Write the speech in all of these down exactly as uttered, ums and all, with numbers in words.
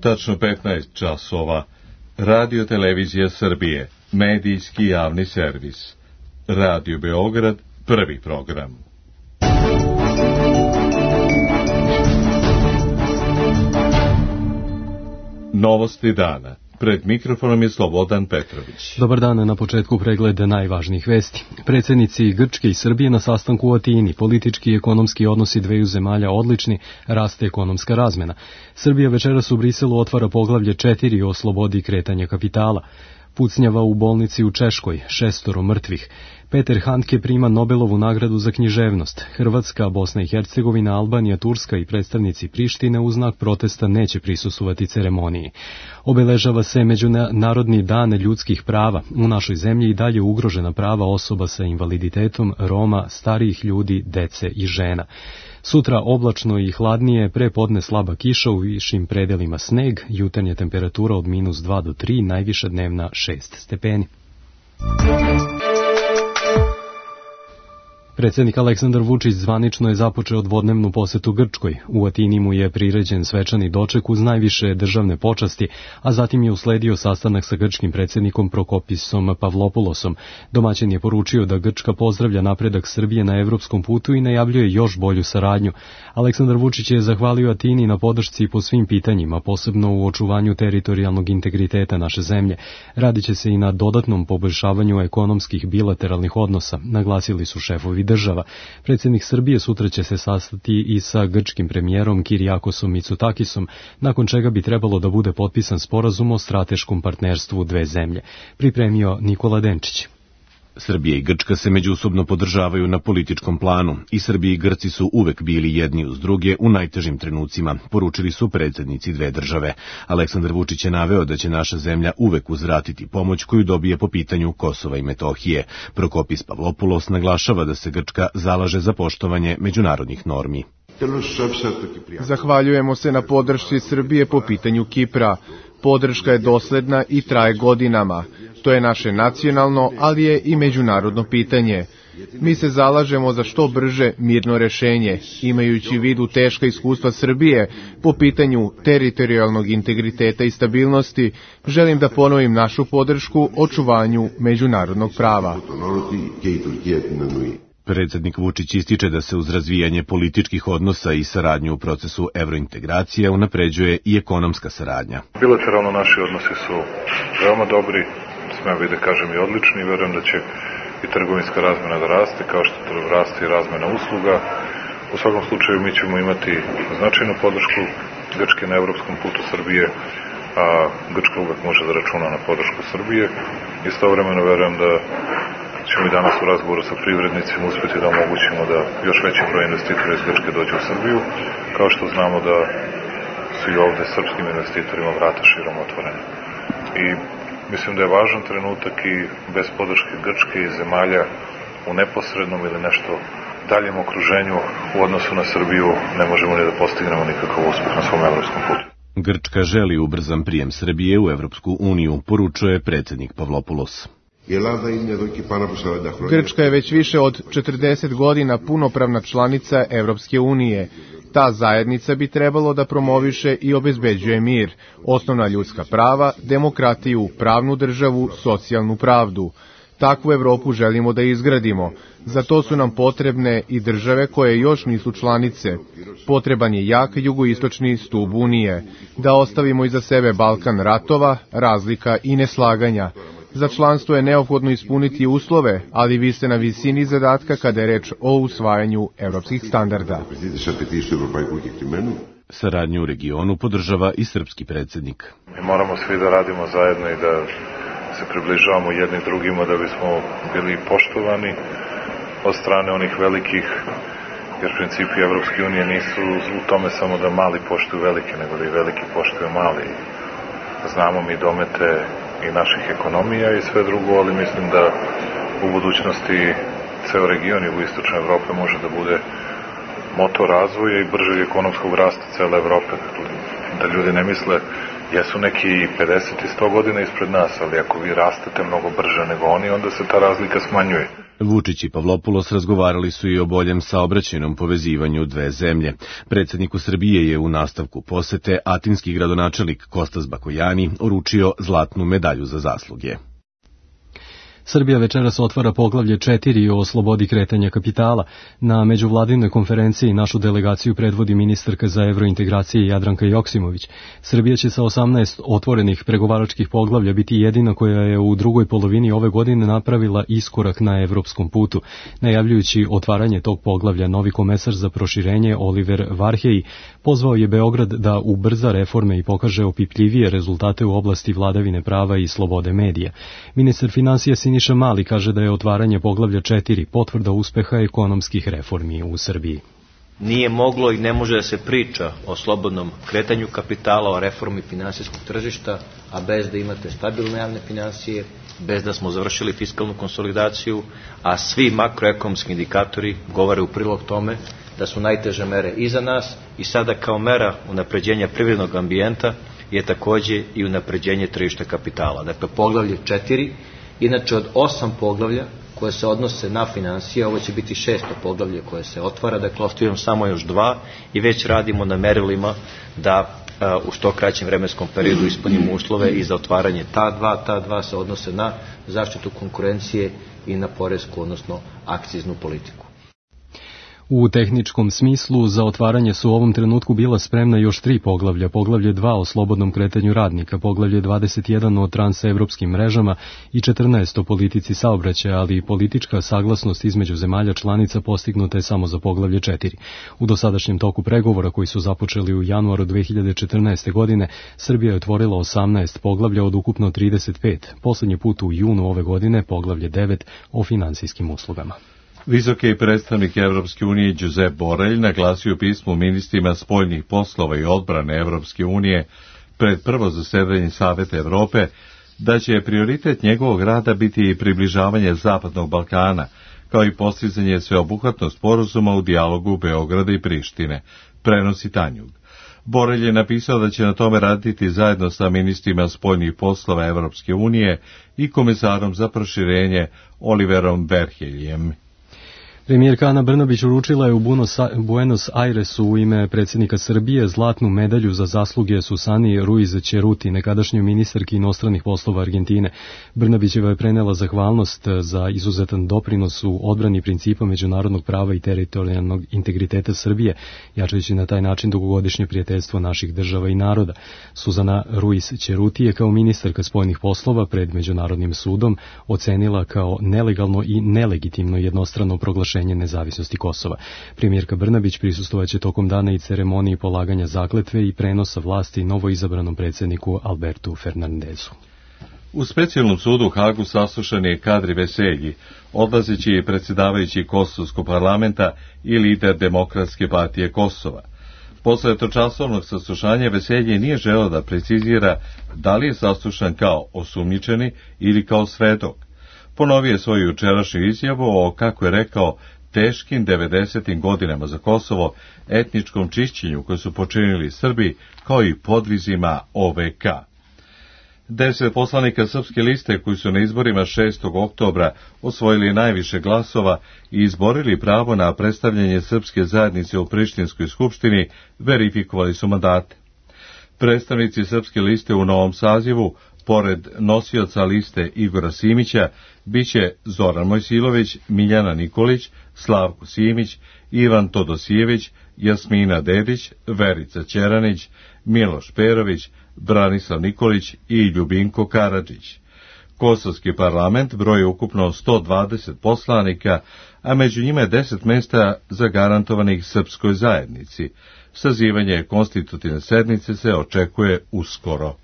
Tačno petnaest časova. Radio Televizija Srbije, medijski javni servis. Radio Beograd, prvi program. Novosti dana. Pred mikrofonom je Slobodan Petrović. Dobar dan, na početku pregled najvažnijih vesti. Predsjednici Grčke i Srbije na sastanku u Atini. Politički i ekonomski odnosi dveju zemalja odlični, raste ekonomska razmena. Srbija večeras u Briselu otvara poglavlje četiri o slobodi kretanja kapitala. Pucnjava u bolnici u Češkoj, šestoro mrtvih. Peter Handke prima Nobelovu nagradu za književnost. Hrvatska, Bosna i Hercegovina, Albanija, Turska i predstavnici Prištine u znak protesta neće prisustvovati ceremoniji. Obeležava se Međunarodni dan ljudskih prava. U našoj zemlji i dalje ugrožena prava osoba sa invaliditetom, Roma, starijih ljudi, dece i žena. Sutra oblačno i hladnije, pre podne slaba kiša, u višim predelima sneg, jutarnja temperatura od minus dva do tri, najviša dnevna šest stepeni. Predsjednik Aleksandar Vučić zvanično je započeo dvodnevnu posetu Grčkoj. U Atini mu je priređen svečani doček uz najviše državne počasti, a zatim je usledio sastanak sa grčkim predsjednikom Prokopisom Pavlopulosom. Domaćin je poručio da Grčka pozdravlja napredak Srbije na evropskom putu i najavljuje još bolju saradnju. Aleksandar Vučić je zahvalio Atini na podršci po svim pitanjima, posebno u očuvanju teritorijalnog integriteta naše zemlje. Radit će se i na dodatnom poboljšavanju ekonomskih bilateralnih odnosa, naglasili su šefovi država. Predsjednik Srbije sutra će se sastati i sa grčkim premijerom Kirijakosom Mitsutakisom, nakon čega bi trebalo da bude potpisan sporazum o strateškom partnerstvu dve zemlje. Pripremio Nikola Denčić. Srbija i Grčka se međusobno podržavaju na političkom planu i Srbija i Grci su uvek bili jedni uz druge u najtežim trenucima, poručili su predsjednici dve države. Aleksandar Vučić je naveo da će naša zemlja uvek uzvratiti pomoć koju dobije po pitanju Kosova i Metohije. Prokopis Pavlopulos naglašava da se Grčka zalaže za poštovanje međunarodnih normi. Zahvaljujemo se na podršci Srbije po pitanju Kipra. Podrška je dosledna i traje godinama. To je naše nacionalno, ali je i međunarodno pitanje. Mi se zalažemo za što brže mirno rešenje, imajući u vidu teška iskustva Srbije po pitanju teritorijalnog integriteta i stabilnosti. Želim da ponovim našu podršku očuvanju međunarodnog prava. Predsjednik Vučić ističe da se uz razvijanje političkih odnosa i saradnju u procesu evrointegracija unapređuje i ekonomska saradnja. Bilateralno naši odnosi su veoma dobri, smem bi da kažem i odlični, verujem da će i trgovinska razmena da raste, kao što raste i razmena usluga. U svakom slučaju mi ćemo imati značajnu podršku Grčke na evropskom putu Srbije, a Grčka uvek može da računa na podršku Srbije. Istovremeno verujem da ćemo i danas u razgovoru sa privrednicima uspjeti da omogućimo da još veći broj investitora iz Grčke dođe u Srbiju, kao što znamo da su i ovde srpskim investitorima vrata širom otvorene. I mislim da je važan trenutak i bez podrške Grčke i zemalja u neposrednom ili nešto daljem okruženju u odnosu na Srbiju ne možemo ni da postignemo nikakav uspjeh na svom evropskom putu. Grčka želi ubrzan prijem Srbije u Evropsku uniju, poručuje predsjednik Pavlopulos. Grčka je već više od četrdeset godina punopravna članica Evropske unije. Ta zajednica bi trebalo da promoviše i obezbeđuje mir, osnovna ljudska prava, demokratiju, pravnu državu, socijalnu pravdu. Takvu Evropu želimo da izgradimo. Za to su nam potrebne i države koje još nisu članice. Potreban je jak jugoistočni stub Unije. Da ostavimo iza sebe Balkan ratova, razlika i neslaganja. Za članstvo je neophodno ispuniti uslove, ali vi ste na visini zadatka kada je reč o usvajanju evropskih standarda. Saradnju u regionu podržava i srpski predsjednik. Mi moramo svi da radimo zajedno i da se približavamo jedni drugima da bismo bili poštovani od strane onih velikih, jer principi Evropske unije nisu u tome samo da mali poštuju velike, nego da i veliki poštuju mali. Znamo mi domete i naših ekonomija i sve drugo, ali mislim da u budućnosti ceo region jugoistočne Evrope može da bude motor razvoja i bržeg ekonomskog rasta cele Evrope. Da ljudi ne misle jesu neki pedeset i sto godina ispred nas, ali ako vi rastete mnogo brže nego oni, onda se ta razlika smanjuje. Vučić i Pavlopoulos razgovarali su i o boljem saobraćajnom povezivanju dve zemlje. Predsjedniku Srbije je u nastavku posete atinski gradonačelnik Kostas Bakojani uručio zlatnu medalju za zasluge. Srbija večeras otvara poglavlje četiri o slobodi kretanja kapitala. Na međuvladinoj konferenciji našu delegaciju predvodi ministarka za evrointegracije Jadranka Joksimović. Srbija će sa osamnaest otvorenih pregovaračkih poglavlja biti jedina koja je u drugoj polovini ove godine napravila iskorak na evropskom putu. Najavljujući otvaranje tog poglavlja, novi komesar za proširenje Oliver Varhelyi pozvao je Beograd da ubrza reforme i pokaže opipljivije rezultate u oblasti vladavine prava i slobode medija. Ministar finansija Siniša Mali kaže da je otvaranje poglavlja četiri potvrda uspeha ekonomskih reformi u Srbiji. Nije moglo i ne može da se priča o slobodnom kretanju kapitala, o reformi finansijskog tržišta, a bez da imate stabilne javne finansije, bez da smo završili fiskalnu konsolidaciju, a svi makroekonomski indikatori govore u prilog tome da su najteže mere iza nas i sada kao mera unapređenja privrednog ambijenta je takođe i unapređenje tržišta kapitala. Dakle, poglavlje četiri, inače od osam poglavlja koje se odnose na finansije, ovo će biti šesto poglavlje koje se otvara, dakle ostavljamo samo još dva i već radimo na merilima da uh, u što kraćem vremenskom periodu ispunimo uslove i za otvaranje ta dva, ta dva se odnose na zaštitu konkurencije i na poresku, odnosno akciznu politiku. U tehničkom smislu za otvaranje su u ovom trenutku bila spremna još tri poglavlja, poglavlje dva o slobodnom kretanju radnika, poglavlje dvadeset jedan o transevropskim mrežama i četrnaest o politici saobraćaja, ali i politička saglasnost između zemalja članica postignuta je samo za poglavlje četiri. U dosadašnjem toku pregovora koji su započeli u januaru dve hiljade četrnaeste. godine, Srbija je otvorila osamnaest poglavlja od ukupno trideset pet, poslednji put u junu ove godine poglavlje devet o finansijskim uslugama. Visoki predstavnik Evropske unije Josep Borrell naglasio u pismu ministrima spoljnih poslova i odbrane Evropske unije pred prvo zasedanje Saveta Evrope da će prioritet njegovog rada biti približavanje Zapadnog Balkana, kao i postizanje sveobuhvatnog sporazuma u dijalogu Beograda i Prištine, prenosi Tanjug. Borrell je napisao da će na tome raditi zajedno sa ministrima spoljnih poslova Evropske unije i komisarom za proširenje Oliverom Varhelyijem. Premijerka Ana Brnabić uručila je u Buenos Airesu u ime predsjednika Srbije zlatnu medalju za zasluge Susani Ruiz Ceruti, nekadašnjoj ministarki inostranih poslova Argentine. Brnabićeva je prenela zahvalnost za izuzetan doprinos u odbrani principa međunarodnog prava i teritorijalnog integriteta Srbije, jačajući na taj način dugogodišnje prijateljstvo naših država i naroda. Susana Ruiz Ceruti je kao ministarka spoljnih poslova pred Međunarodnim sudom ocenila kao nelegalno i nelegitimno jednostrano proglašenje nezavisnosti Kosova. Premijerka Brnabić prisustvovaće tokom dana i ceremoniji polaganja zakletve i prenosa vlasti novoizabranom predsjedniku Albertu Fernandezu. U specijalnom sudu u Hagu saslušan je Kadri Veselji, odlazeći predsjedavajući Kosovskog parlamenta i lider Demokratske partije Kosova. Posle točasovnog saslušanja Veselji nije želeo da precizira da li je saslušan kao osumnjičeni ili kao svedok. Ponovio je svoju jučerašnju izjavu o, kako je rekao, teškim devedesetim godinama za Kosovo, etničkom čišćenju koje su počinili Srbi, kao i podvizima O V K. Deset poslanika Srpske liste koji su na izborima šestog oktobra osvojili najviše glasova i izborili pravo na predstavljanje srpske zajednice u Prištinskoj skupštini, verifikovali su mandate. Predstavnici Srpske liste u novom sazivu, pored nosioca liste Igora Simića, biće Zoran Mojsilović, Miljana Nikolić, Slavko Simić, Ivan Todosijević, Jasmina Dedić, Verica Ćeranić, Miloš Perović, Branislav Nikolić i Ljubinko Karadžić. Kosovski parlament broji ukupno sto dvadeset poslanika, a među njima je deset mesta zagarantovanih srpskoj zajednici. Sazivanje konstitutivne sednice se očekuje uskoro.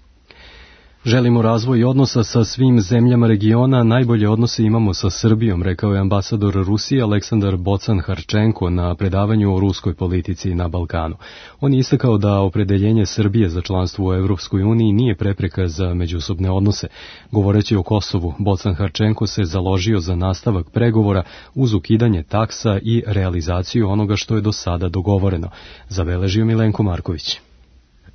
Želimo razvoj odnosa sa svim zemljama regiona, najbolje odnose imamo sa Srbijom, rekao je ambasador Rusije Aleksandar Bocan-Harčenko na predavanju o ruskoj politici na Balkanu. On je istakao da opredeljenje Srbije za članstvo u Evropskoj uniji nije prepreka za međusobne odnose. Govoreći o Kosovu, Bocan-Harčenko se založio za nastavak pregovora uz ukidanje taksa i realizaciju onoga što je do sada dogovoreno. Zabeležio Milenko Marković.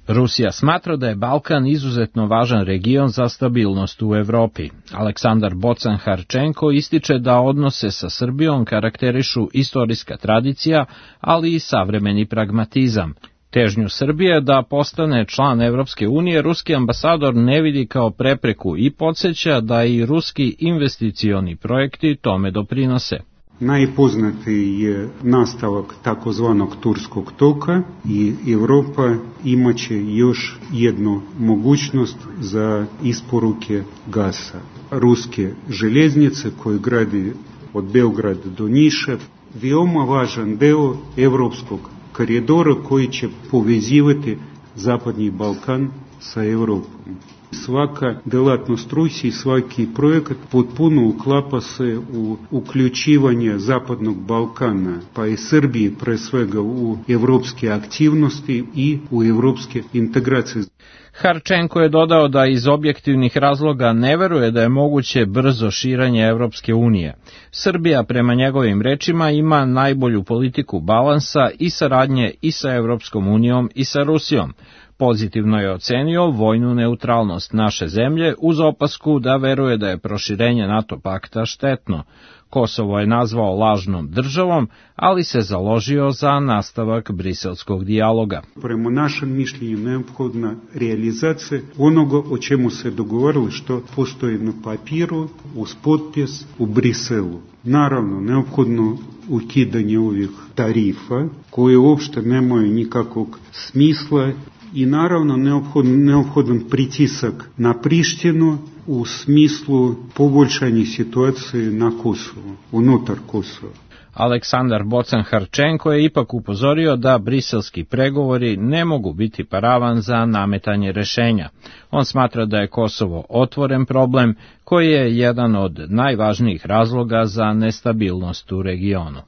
Rusija smatra da je Balkan izuzetno važan region za stabilnost u Evropi. Aleksandar Bocan-Harčenko ističe da odnose sa Srbijom karakterišu istorijska tradicija, ali i savremeni pragmatizam. Težnju Srbije da postane član Evropske unije ruski ambasador ne vidi kao prepreku i podsjeća da i ruski investicioni projekti tome doprinose. Najpoznatiji je nastavak takozvanog Turskog toka i Evropa imaće još jednu mogućnost za isporuke gasa. Ruske željeznice koje gradi od Beograda do Niša, veoma važan deo evropskog koridora koji će povezivati Zapadni Balkan sa Evropom. Svaka delatnost Rusije, svaki projekat potpuno uklapa se u uključivanje Zapadnog Balkana, pa i Srbije pre svega u evropske aktivnosti i u evropske integracije. Harčenko je dodao da iz objektivnih razloga ne veruje da je moguće brzo širenje Evropske unije. Srbija, prema njegovim rečima, ima najbolju politiku balansa i saradnje i sa Evropskom unijom i sa Rusijom. Pozitivno je ocenio vojnu neutralnost naše zemlje uz opasku da veruje da je proširenje NATO pakta štetno. Kosovo je nazvao lažnom državom, ali se založio za nastavak briselskog dijaloga. Prema našem mišljenju neophodna realizacija onoga o čemu se dogovorili što postoji na papiru uz potpis u Briselu. Naravno, neophodno ukidanje ovih tarifa koje uopšte nemaju nikakvog smisla i naravno neophodan, neophodan pritisak na Prištinu u smislu poboljšanja situacije na Kosovu, unutar Kosova. Aleksandar Bocan-Harčenko je ipak upozorio da briselski pregovori ne mogu biti paravan za nametanje rešenja. On smatra da je Kosovo otvoren problem koji je jedan od najvažnijih razloga za nestabilnost u regionu.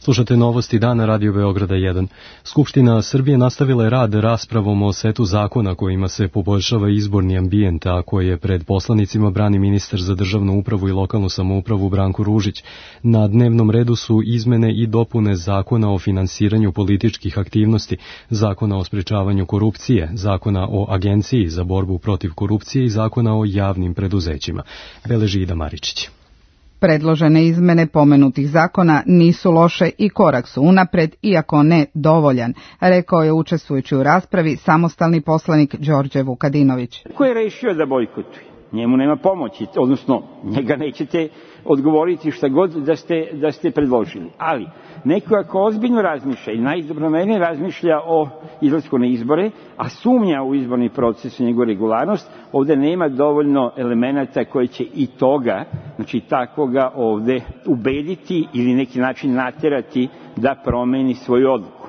Slušate novosti dana Radio Beograda jedan. Skupština Srbije nastavila je rad raspravom o setu zakona kojima se poboljšava izborni ambijent, a koje je pred poslanicima brani ministar za državnu upravu i lokalnu samoupravu Branko Ružić. Na dnevnom redu su izmene i dopune zakona o finansiranju političkih aktivnosti, zakona o sprečavanju korupcije, zakona o agenciji za borbu protiv korupcije i zakona o javnim preduzećima. Beleži Ida Maričić. Predložene izmene pomenutih zakona nisu loše i korak su unapred, iako ne dovoljan, rekao je učestvujući u raspravi samostalni poslanik Đorđe Vukadinović. Ko je rešio da bojkotuje? Njemu nema pomoći, odnosno njega nećete odgovoriti šta god da ste, da ste predložili. Ali neko ako ozbiljno razmišlja i najdobronamernije razmišlja o izlasku na izbore, a sumnja u izborni proces i njegovu regularnost, ovde nema dovoljno elemenata koji će i toga, znači takvoga ovde ubediti ili neki način naterati da promeni svoju odluku.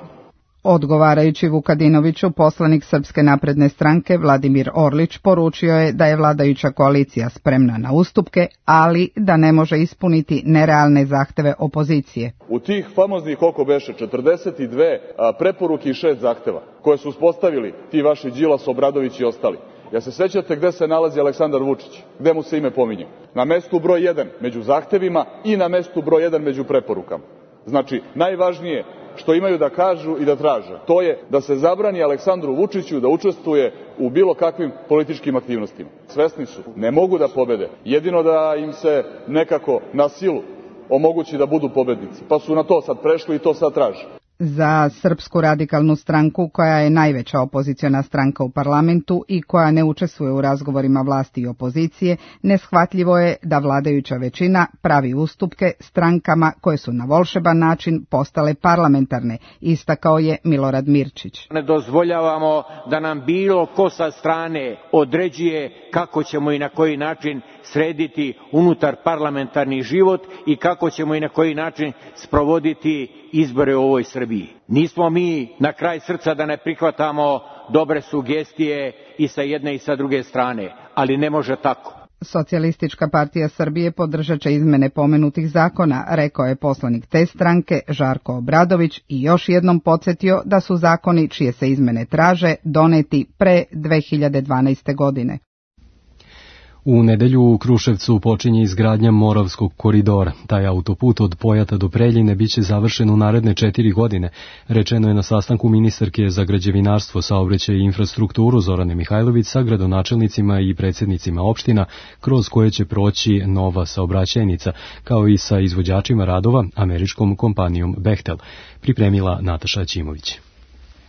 Odgovarajući Vukadinoviću, poslanik Srpske napredne stranke Vladimir Orlić poručio je da je vladajuća koalicija spremna na ustupke, ali da ne može ispuniti nerealne zahteve opozicije. U tih famoznih oko beše četrdeset dve preporuke i šest zahteva koje su uspostavili ti vaši Đilas, Obradović i ostali. Ja se sećate gde se nalazi Aleksandar Vučić, gde mu se ime pominje? Na mestu broj jedan među zahtevima i na mestu broj jedan među preporukama. Znači, najvažnije što imaju da kažu i da traže, to je da se zabrani Aleksandru Vučiću da učestvuje u bilo kakvim političkim aktivnostima. Svesni su, ne mogu da pobede, jedino da im se nekako na silu omogući da budu pobednici, pa su na to sad prešli i to sad traže. Za Srpsku radikalnu stranku, koja je najveća opoziciona stranka u parlamentu i koja ne učestvuje u razgovorima vlasti i opozicije, neshvatljivo je da vladajuća većina pravi ustupke strankama koje su na volšeban način postale parlamentarne, istakao je Milorad Mirčić. Ne dozvoljavamo da nam bilo ko sa strane određuje kako ćemo i na koji način srediti unutar parlamentarni život i kako ćemo i na koji način sprovoditi izbore u ovoj Srbiji. Nismo mi na kraj srca da ne prihvatamo dobre sugestije i sa jedne i sa druge strane, ali ne može tako. Socijalistička partija Srbije podržat će izmene pomenutih zakona, rekao je poslanik te stranke Žarko Obradović i još jednom podsjetio da su zakoni čije se izmene traže doneti pre dve hiljade dvanaeste. godine. U nedelju u Kruševcu počinje izgradnja Moravskog koridora. Taj autoput od Pojata do Preljine biće završen u naredne četiri godine, rečeno je na sastanku ministarke za građevinarstvo, saobraćaj i infrastrukturu Zorane Mihajlović sa gradonačelnicima i predsjednicima opština kroz koje će proći nova saobraćajnica, kao i sa izvođačima radova, američkom kompanijom Bechtel, pripremila Nataša Ćimović.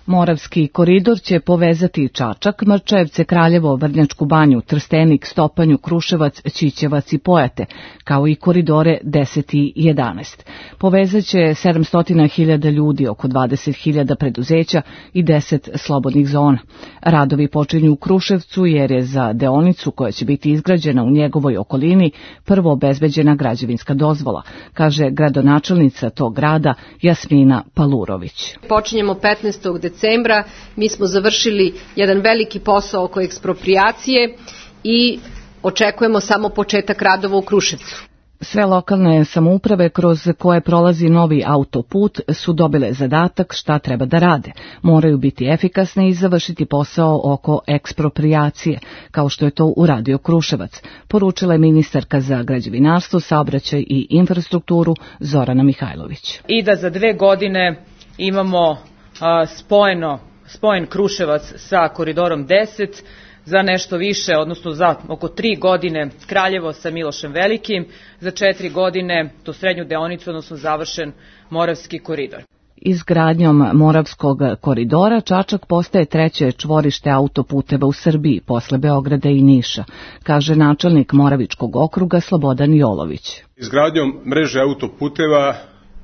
Moravski koridor će povezati Čačak, Mrčajevce, Kraljevo, Vrnjačku banju, Trstenik, Stopanju, Kruševac, Ćićevac i Pojate, kao i koridore deset i jedanaest. Povezaće sedamsto hiljada ljudi, oko dvadeset hiljada preduzeća i deset slobodnih zona. Radovi počinju u Kruševcu jer je za deonicu koja će biti izgrađena u njegovoj okolini prvo obezbeđena građevinska dozvola, kaže gradonačelnica tog grada Jasmina Palurović. Počinjemo petnaestog decembra, mi smo završili jedan veliki posao oko eksproprijacije i očekujemo samo početak radova u Kruševcu. Sve lokalne samouprave kroz koje prolazi novi autoput su dobile zadatak šta treba da rade. Moraju biti efikasne i završiti posao oko eksproprijacije, kao što je to uradio Kruševac, poručila je ministarka za građevinarstvo, saobraćaj i infrastrukturu Zorana Mihajlović. I da za dve godine imamo a, spojeno, spojen Kruševac sa koridorom deset, za nešto više, odnosno za oko tri godine Kraljevo sa Milošem Velikim, za četiri godine tu srednju deonicu, odnosno završen Moravski koridor. Izgradnjom Moravskog koridora Čačak postaje treće čvorište autoputeva u Srbiji posle Beograda i Niša, kaže načelnik Moravičkog okruga Slobodan Jolović. Izgradnjom mreže autoputeva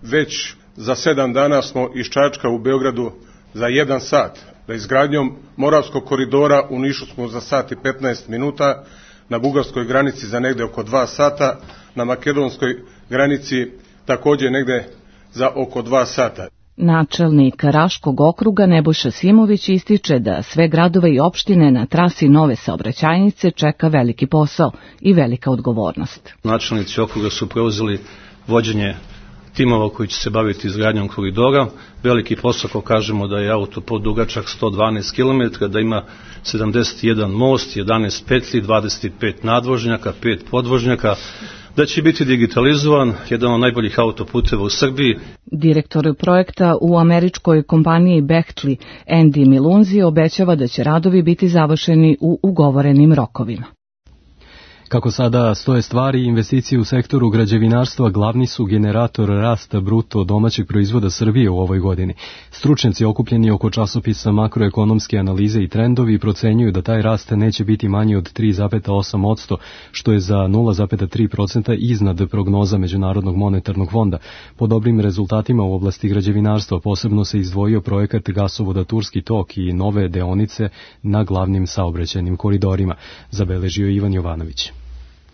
već za sedam dana smo iz Čačka u Beogradu za jedan sat. Da izgradnjom Moravskog koridora u Nišu smo za sat i petnaest minuta, na bugarskoj granici za negde oko dva sata, na makedonskoj granici također negde za oko dva sata. Načelnik Raškog okruga Nebojša Simović ističe da sve gradove i opštine na trasi nove saobraćajnice čeka veliki posao i velika odgovornost. Načelnici okruga su preuzeli vođenje timova koji će se baviti izgradnjom koridora. Veliki posao, ako kažemo da je autoput dugačak sto dvanaest kilometara, da ima sedamdeset jedan most, jedanaest petlji, dvadeset pet nadvožnjaka, pet podvožnjaka, da će biti digitalizovan, jedan od najboljih autoputeva u Srbiji. Direktor projekta u američkoj kompaniji Bechtli, Andy Milunzi, obećava da će radovi biti završeni u ugovorenim rokovima. Kako sada stoje stvari, investicije u sektoru građevinarstva glavni su generator rasta bruto domaćeg proizvoda Srbije u ovoj godini. Stručnjaci okupljeni oko časopisa Makroekonomske analize i trendovi procenjuju da taj rast neće biti manji od tri zarez osam posto, što je za nula zarez tri posto iznad prognoza Međunarodnog monetarnog fonda. Po dobrim rezultatima u oblasti građevinarstva posebno se izdvojio projekat gasovoda Turski tok i nove deonice na glavnim saobraćajnim koridorima, zabeležio Ivan Jovanović.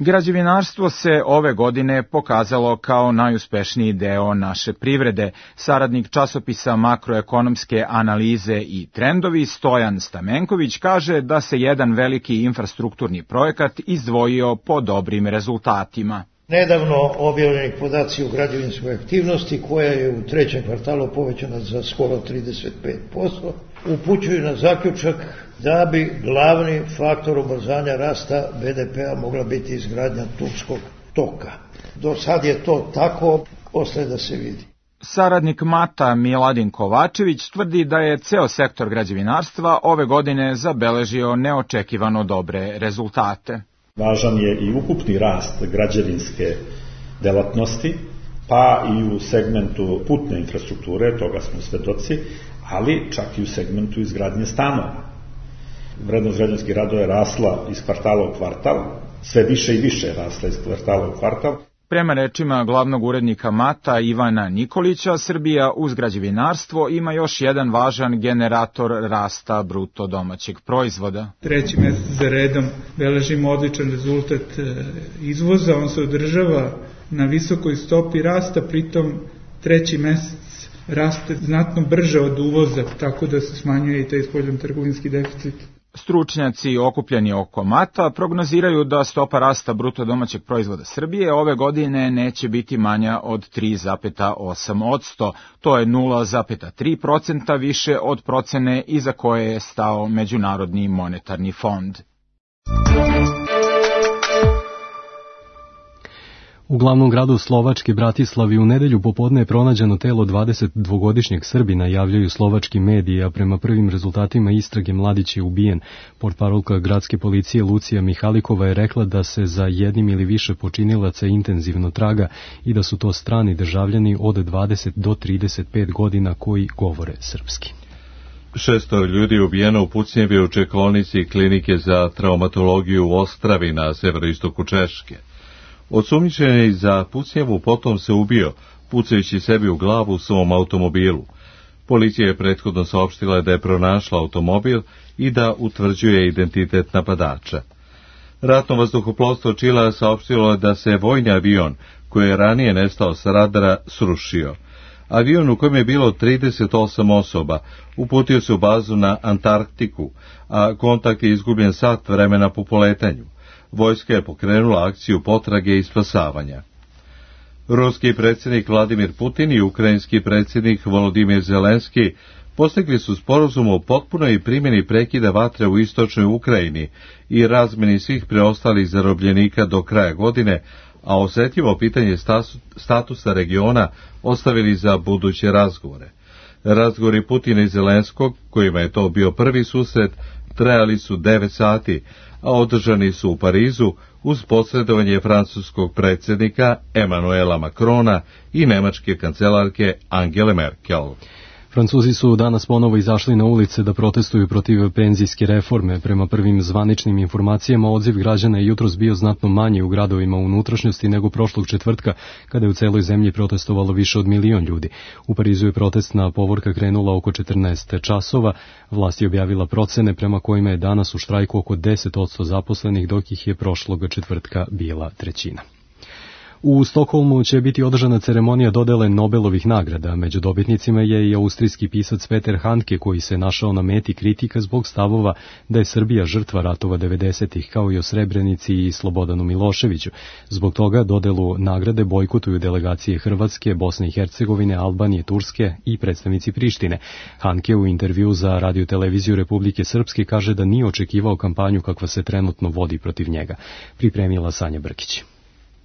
Građevinarstvo se ove godine pokazalo kao najuspešniji deo naše privrede. Saradnik časopisa Makroekonomske analize i trendovi Stojan Stamenković kaže da se jedan veliki infrastrukturni projekat izdvojio po dobrim rezultatima. Nedavno objavljeni podaci o građevinskoj aktivnosti, koja je u trećem kvartalu povećana za skoro trideset pet posto, upućuju na zaključak da bi glavni faktor ubrzanja rasta be de pea mogla biti izgradnja Turskog toka. Do sad je to tako, ostaje da se vidi. Saradnik Mata Miladin Kovačević tvrdi da je ceo sektor građevinarstva ove godine zabeležio neočekivano dobre rezultate. Važan je i ukupni rast građevinske delatnosti, pa i u segmentu putne infrastrukture, toga smo svedoci, ali čak i u segmentu izgradnje stanova. Vrednost građevinskih radova je rasla iz kvartala u kvartal, sve više i više je rasla iz kvartala u kvartal. Prema rečima glavnog urednika Mata Ivana Nikolića, Srbija uz građevinarstvo ima još jedan važan generator rasta bruto domaćeg proizvoda. Treći mesec za redom beležimo odličan rezultat izvoza, on se održava na visokoj stopi rasta, pritom treći mesec raste znatno brže od uvoza, tako da se smanjuje i taj spoljnotrgovinski deficit. Stručnjaci okupljeni oko Mata prognoziraju da stopa rasta bruto domaćeg proizvoda Srbije ove godine neće biti manja od tri zarez osam posto. To je nula zarez tri posto više od procene iza koje je stao Međunarodni monetarni fond. U glavnom gradu Slovačke, Bratislavi, u nedelju popodne je pronađeno telo dvadesetdvogodišnjeg Srbina, javljaju slovački mediji, a prema prvim rezultatima istrage mladić je ubijen. Portparolka gradske policije Lucija Mihalikova je rekla da se za jednim ili više počinilaca intenzivno traga i da su to strani državljani od dvadeset do trideset pet godina koji govore srpski. Šesto ljudi je ubijeno u pucnjevi u čekaonici klinike za traumatologiju u Ostravi na severoistoku Češke. Osumnjičeni za pucnjevu potom se ubio, pucajući sebi u glavu u svom automobilu. Policija je prethodno saopštila da je pronašla automobil i da utvrđuje identitet napadača. Ratno vazduhoplovstvo Čilea saopštilo je da se vojni avion, koji je ranije nestao sa radara, srušio. Avion u kojem je bilo trideset osam osoba uputio se u bazu na Antarktiku, a kontakt je izgubljen sat vremena po poletanju. Vojska je pokrenula akciju potrage i spasavanja. Ruski predsjednik Vladimir Putin i ukrajinski predsjednik Volodimir Zelenski postigli su sporazum o potpunoj primjeni prekida vatre u istočnoj Ukrajini i razmeni svih preostalih zarobljenika do kraja godine, a osjetljivo pitanje statusa regiona ostavili za buduće razgovore. Razgovori Putina i Zelenskog, kojima je to bio prvi susret, trajali su devet sati, a održani su u Parizu uz posredovanje francuskog predsjednika Emanuela Macrona i nemačke kancelarke Angele Merkel. Francuzi su danas ponovo izašli na ulice da protestuju protiv penzijske reforme. Prema prvim zvaničnim informacijama, odziv građana je jutros bio znatno manji u gradovima unutrašnjosti nego prošlog četvrtka, kada je u celoj zemlji protestovalo više od milion ljudi. U Parizu je protestna povorka krenula oko četrnaest časova. Vlast je objavila procene prema kojima je danas u štrajku oko deset posto zaposlenih, dok ih je prošlog četvrtka bila trećina. U Stokholmu će biti održana ceremonija dodele Nobelovih nagrada. Među dobitnicima je i austrijski pisac Peter Handke, koji se našao na meti kritika zbog stavova da je Srbija žrtva ratova devedesetih, kao i o Srebrenici i Slobodanu Miloševiću. Zbog toga dodelu nagrade bojkotuju delegacije Hrvatske, Bosne i Hercegovine, Albanije, Turske i predstavnici Prištine. Handke u intervju za radioteleviziju Republike Srpske kaže da nije očekivao kampanju kakva se trenutno vodi protiv njega. Pripremila Sanja Brkić.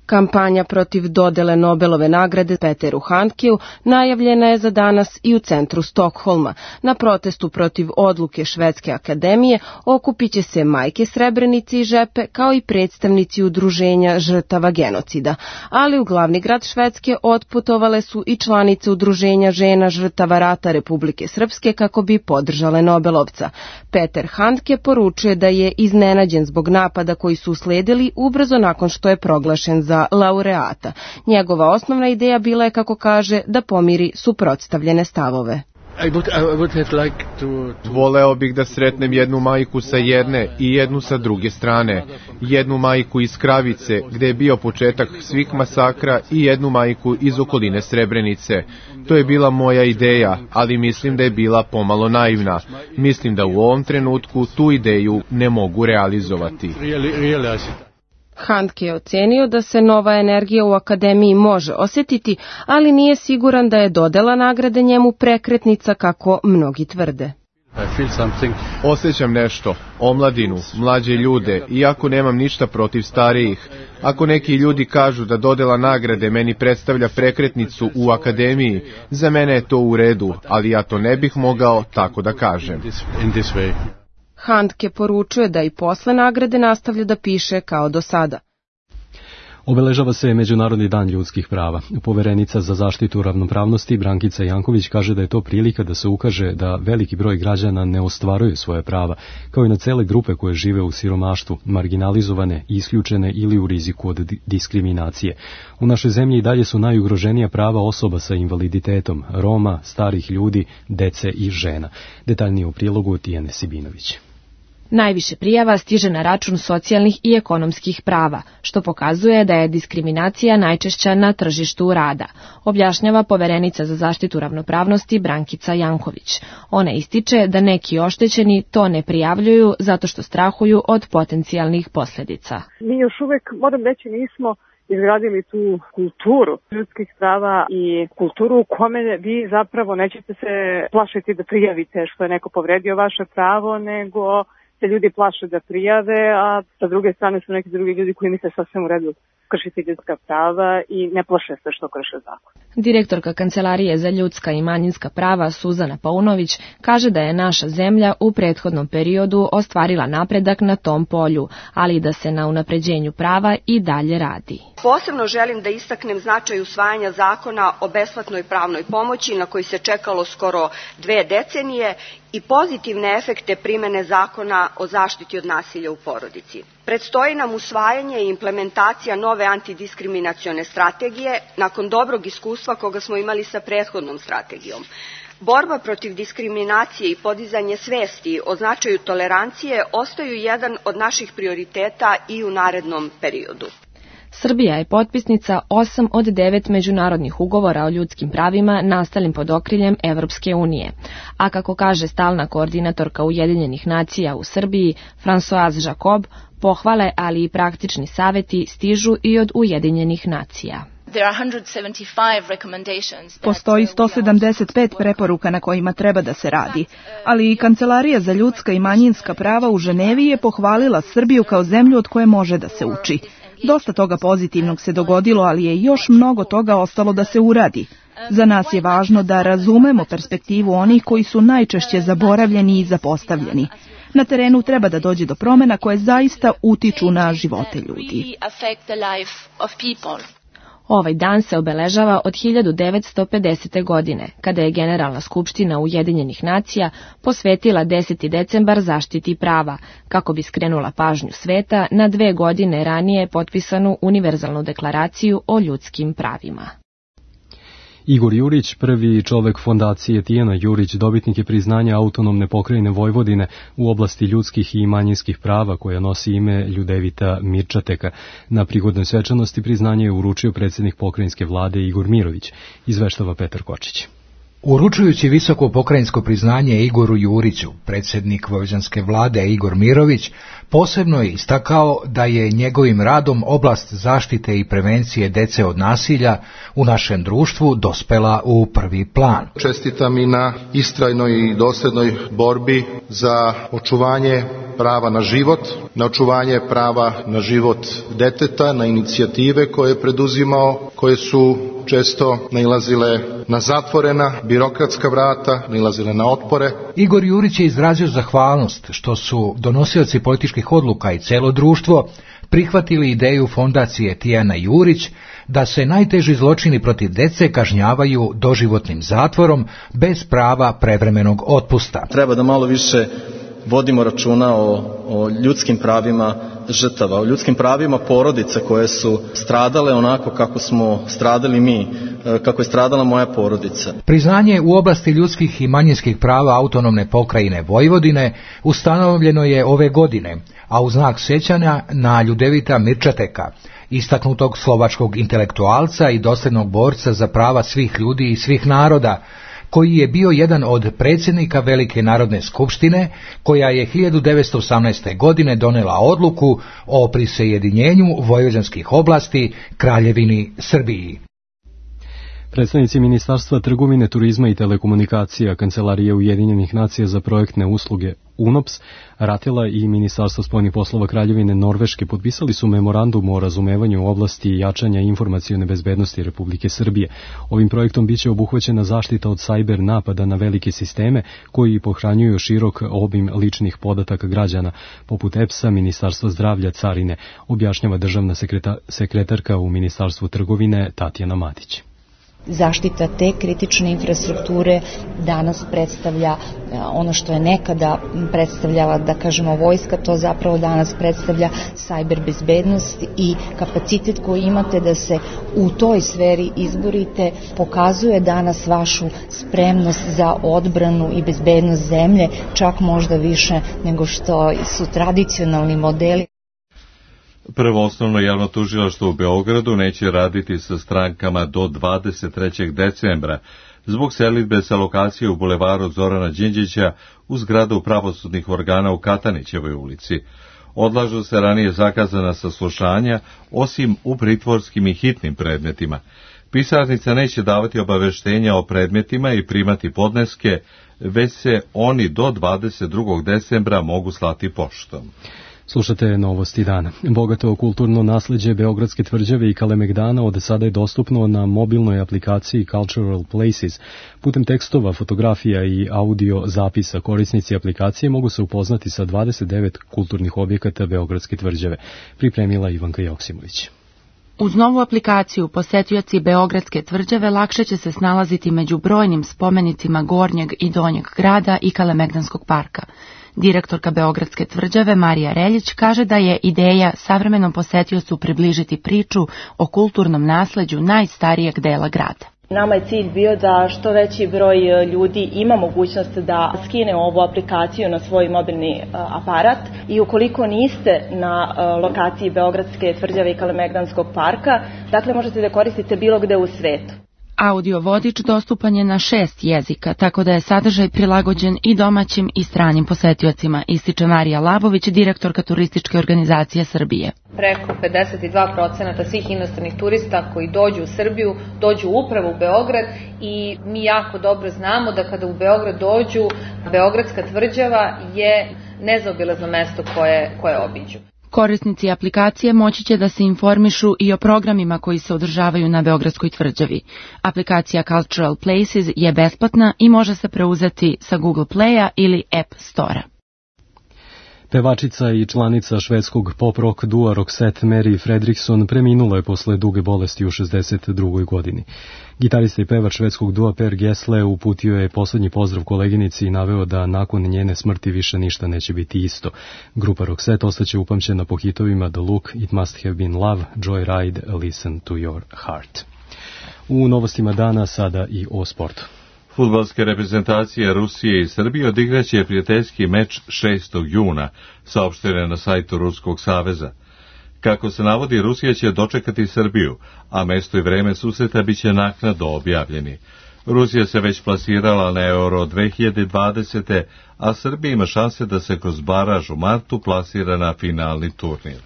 Kampanja protiv dodele Nobelove nagrade Peteru Handkeu najavljena je za danas i u centru Stokholma. Na protestu protiv odluke Švedske akademije okupiće se majke Srebrenice i Žepe, kao i predstavnici udruženja žrtava genocida. Ali u glavni grad Švedske otputovale su i članice udruženja žena žrtava rata Republike Srpske kako bi podržale Nobelovca. Peter Handke poručuje da je iznenađen zbog napada koji su usledili ubrzo nakon što je proglašen za laureata. Njegova osnovna ideja bila je, kako kaže, da pomiri suprotstavljene stavove. I would, I would have like to, to... Voleo bih da sretnem jednu majku sa jedne i jednu sa druge strane. Jednu majku iz Kravice, gde je bio početak svih masakra, i jednu majku iz okoline Srebrenice. To je bila moja ideja, ali mislim da je bila pomalo naivna. Mislim da u ovom trenutku tu ideju ne mogu realizovati. Really, really Handke je ocenio da se nova energija u akademiji može osjetiti, ali nije siguran da je dodela nagrade njemu prekretnica kako mnogi tvrde. Osjećam nešto, omladinu, mlađe ljude, iako nemam ništa protiv starijih. Ako neki ljudi kažu da dodela nagrade meni predstavlja prekretnicu u akademiji, za mene je to u redu, ali ja to ne bih mogao tako da kažem. Handke poručuje da i posle nagrade nastavlja da piše kao do sada. Obeležava se Međunarodni dan ljudskih prava. Poverenica za zaštitu ravnopravnosti Brankica Janković kaže da je to prilika da se ukaže da veliki broj građana ne ostvaruju svoje prava, kao i na cele grupe koje žive u siromaštvu, marginalizovane, isključene ili u riziku od diskriminacije. U našoj zemlji i dalje su najugroženija prava osoba sa invaliditetom, Roma, starih ljudi, dece i žena. Detaljnije u prilogu Tijane Sibinović. Najviše prijava stiže na račun socijalnih i ekonomskih prava, što pokazuje da je diskriminacija najčešća na tržištu rada, objašnjava poverenica za zaštitu ravnopravnosti Brankica Janković. Ona ističe da neki oštećeni to ne prijavljuju zato što strahuju od potencijalnih posljedica. Mi još uvek, moram reći, nismo izgradili tu kulturu ljudskih prava i kulturu u kome vi zapravo nećete se plašiti da prijavite što je neko povredio vaše pravo, nego se ljudi plaše da prijave, a sa druge strane su neki drugi ljudi koji misle sasvim u redu kršiti ljudska prava i ne plaše se što krše zakon. Direktorka Kancelarije za ljudska i manjinska prava Suzana Paunović kaže da je naša zemlja u prethodnom periodu ostvarila napredak na tom polju, ali da se na unapređenju prava i dalje radi. Posebno želim da istaknem značaj usvajanja zakona o besplatnoj pravnoj pomoći na koji se čekalo skoro dve decenije i pozitivne efekte primene zakona o zaštiti od nasilja u porodici. Predstoji nam usvajanje i implementacija nove antidiskriminacione strategije nakon dobrog iskustva koga smo imali sa prethodnom strategijom. Borba protiv diskriminacije i podizanje svesti o značaju tolerancije ostaju jedan od naših prioriteta i u narednom periodu. Srbija je potpisnica osam od devet međunarodnih ugovora o ljudskim pravima nastalim pod okriljem Evropske unije. A kako kaže stalna koordinatorka Ujedinjenih nacija u Srbiji, Françoise Jacob, pohvale, ali i praktični saveti stižu i od Ujedinjenih nacija. Postoji sto sedamdeset pet preporuka na kojima treba da se radi, ali i Kancelarija za ljudska i manjinska prava u Ženevi je pohvalila Srbiju kao zemlju od koje može da se uči. Dosta toga pozitivnog se dogodilo, ali je još mnogo toga ostalo da se uradi. Za nas je važno da razumemo perspektivu onih koji su najčešće zaboravljeni i zapostavljeni. Na terenu treba da dođe do promena koje zaista utiču na živote ljudi. Ovaj dan se obeležava od hiljadu devetsto pedesete. godine, kada je Generalna skupština Ujedinjenih nacija posvetila deseti decembar zaštiti prava, kako bi skrenula pažnju sveta na dve godine ranije potpisanu Univerzalnu deklaraciju o ljudskim pravima. Igor Jurić, prvi čovek fondacije Tijana Jurić, dobitnik je priznanja autonomne pokrajine Vojvodine u oblasti ljudskih i manjinskih prava koja nosi ime Ljudevita Mirčateka. Na prigodnoj svečanosti priznanje je uručio predsjednik pokrajinske vlade Igor Mirović, izveštava Petar Kočić. Uručujući visoko pokrajinsko priznanje Igoru Juriću, predsjednik vojvođanske vlade Igor Mirović posebno je istakao da je njegovim radom oblast zaštite i prevencije dece od nasilja u našem društvu dospela u prvi plan. Čestitam i na istrajnoj i dosljednoj borbi za očuvanje prava na život, na očuvanje prava na život deteta, na inicijative koje je preduzimao, koje su često nailazile na zatvorena birokratska vrata, nailazile na otpore. Igor Jurić je izrazio zahvalnost što su donosioci političkih odluka i celo društvo prihvatili ideju fondacije Tijana Jurić da se najteži zločini protiv dece kažnjavaju doživotnim zatvorom bez prava prevremenog otpusta. Treba da malo više vodimo računa o, o ljudskim pravima žrtava, o ljudskim pravima porodica koje su stradale onako kako smo stradali mi, kako je stradala moja porodica. Priznanje u oblasti ljudskih i manjinskih prava autonomne pokrajine Vojvodine ustanovljeno je ove godine, a u znak sećanja na Ljudevita Mirčateka, istaknutog slovačkog intelektualca i dosljednog borca za prava svih ljudi i svih naroda, koji je bio jedan od predsjednika Velike narodne skupštine, koja je hiljadu devetsto osamnaeste. godine donela odluku o prisajedinjenju vojvođanskih oblasti Kraljevini Srbiji. Predstavnici Ministarstva trgovine, turizma i telekomunikacija, Kancelarije Ujedinjenih nacija za projektne usluge U N O P S, Ratela i Ministarstvo spoljnih poslova Kraljevine Norveške potpisali su memorandum o razumevanju u oblasti jačanja informacione bezbednosti Republike Srbije. Ovim projektom biće obuhvaćena zaštita od sajber napada na velike sisteme koji pohranjuju širok obim ličnih podataka građana, poput E P S-a, Ministarstva zdravlja, carine, objašnjava državna sekreta, sekretarka u Ministarstvu trgovine Tatjana Matić. Zaštita te kritične infrastrukture danas predstavlja ono što je nekada predstavljala, da kažemo, vojska, to zapravo danas predstavlja sajber bezbednost i kapacitet koji imate da se u toj sferi izborite pokazuje danas vašu spremnost za odbranu i bezbednost zemlje, čak možda više nego što su tradicionalni modeli. Prvo osnovno javno tužilaštvo u Beogradu neće raditi sa strankama do dvadeset trećeg decembra zbog selidbe sa lokacije u bulevaru Zorana Đinđića u zgradu pravosudnih organa u Katanićevoj ulici. Odlažu se ranije zakazana saslušanja, osim u pritvorskim i hitnim predmetima. Pisarnica neće davati obaveštenja o predmetima i primati podneske, već se oni do dvadeset drugog decembra mogu slati poštom. Slušate novosti dana. Bogato kulturno nasleđe Beogradske tvrđave i Kalemegdana od sada je dostupno na mobilnoj aplikaciji Cultural Places. Putem tekstova, fotografija i audio zapisa korisnici aplikacije mogu se upoznati sa dvadeset devet kulturnih objekata Beogradske tvrđave. Pripremila Ivanka Joksimović. Uz novu aplikaciju posetioci Beogradske tvrđave lakše će se snalaziti među brojnim spomenicima Gornjeg i Donjeg grada i Kalemegdanskog parka. Direktorka Beogradske tvrđave Marija Reljić kaže da je ideja savremenom posetiocu približiti priču o kulturnom nasleđu najstarijeg dela grada. Nama je cilj bio da što veći broj ljudi ima mogućnost da skine ovu aplikaciju na svoj mobilni aparat i ukoliko niste na lokaciji Beogradske tvrđave i Kalemegdanskog parka, dakle možete da koristite bilo gde u svetu. Audio vodič dostupan je na šest jezika, tako da je sadržaj prilagođen i domaćim i stranim posetiocima, ističe Marija Labović, direktorka Turističke organizacije Srbije. Preko pedeset dva posto svih inostranih turista koji dođu u Srbiju, dođu upravo u Beograd i mi jako dobro znamo da kada u Beograd dođu, Beogradska tvrđava je nezaobilazno mesto koje, koje obiđu. Korisnici aplikacije moći će da se informišu i o programima koji se održavaju na Beogradskoj tvrđavi. Aplikacija Cultural Places je besplatna i može se preuzeti sa Google Playa ili App Store-a. Pevačica i članica švedskog pop-rock dua Roxette Mary Fredriksson preminula je posle duge bolesti u šezdeset drugoj godini. Gitarista i pevač švedskog dua Per Gessle uputio je poslednji pozdrav koleginici i naveo da nakon njene smrti više ništa neće biti isto. Grupa Roxette ostaće upamćena po hitovima The Look, It Must Have Been Love, Joyride, Listen to Your Heart. U novostima dana sada i o sportu. Fudbalske reprezentacije Rusije i Srbije odigraće prijateljski meč šestog juna, saopšteno je na sajtu Ruskog saveza. Kako se navodi, Rusija će dočekati Srbiju, a mesto i vreme susreta biće naknadno objavljeni. Rusija se već plasirala na Euro dve hiljade dvadesete, a Srbija ima šanse da se kroz baraž u martu plasira na finalni turnir.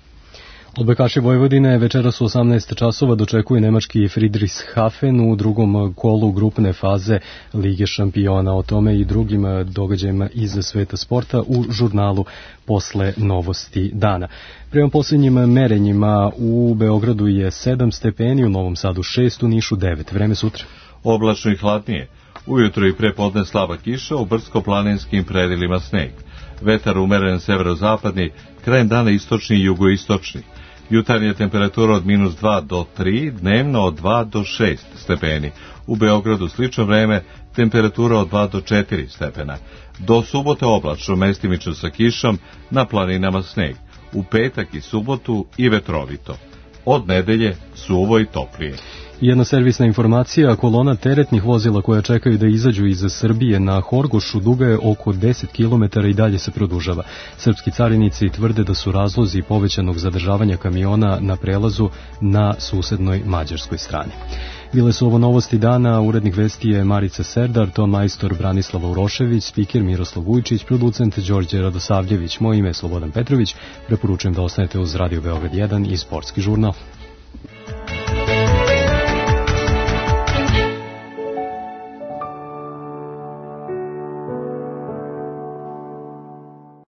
Odbojkaši Vojvodine večeras u osamnaest časova dočekuje nemački Friedrichshafen u drugom kolu grupne faze Lige šampiona. O tome i drugim događajima iz sveta sporta u žurnalu Posle novosti dana. Prema posljednjim merenjima u Beogradu je sedam stepeni, u Novom Sadu šest, u Nišu devet. Vreme sutra. Oblačno i hladnije. Ujutro i prepodne slaba kiša, u brdsko-planinskim predjelima sneg. Vetar umeren severozapadni, krajem dana istočni i jugoistočni. Jutarnja temperatura od minus dva do tri, dnevno od dva do šest stepeni. U Beogradu slično vreme, temperatura od dva do četiri stepena. Do subote oblačno, mestimično sa kišom, na planinama sneg. U petak i subotu i vetrovito. Od nedelje suvo i toplije. Jedna servisna informacija, kolona teretnih vozila koja čekaju da izađu iz Srbije na Horgošu duga je oko deset kilometara i dalje se produžava. Srpski carinici tvrde da su razlozi povećanog zadržavanja kamiona na prelazu na susednoj mađarskoj strani. Bile su ovo novosti dana, urednik vesti je Marica Serdar, ton majstor Branislava Urošević, spiker Miroslav Vujčić, producent Đorđe Radosavljević, moje ime je Slobodan Petrović, preporučujem da ostanete uz Radio Beograd jedan i Sportski žurnal.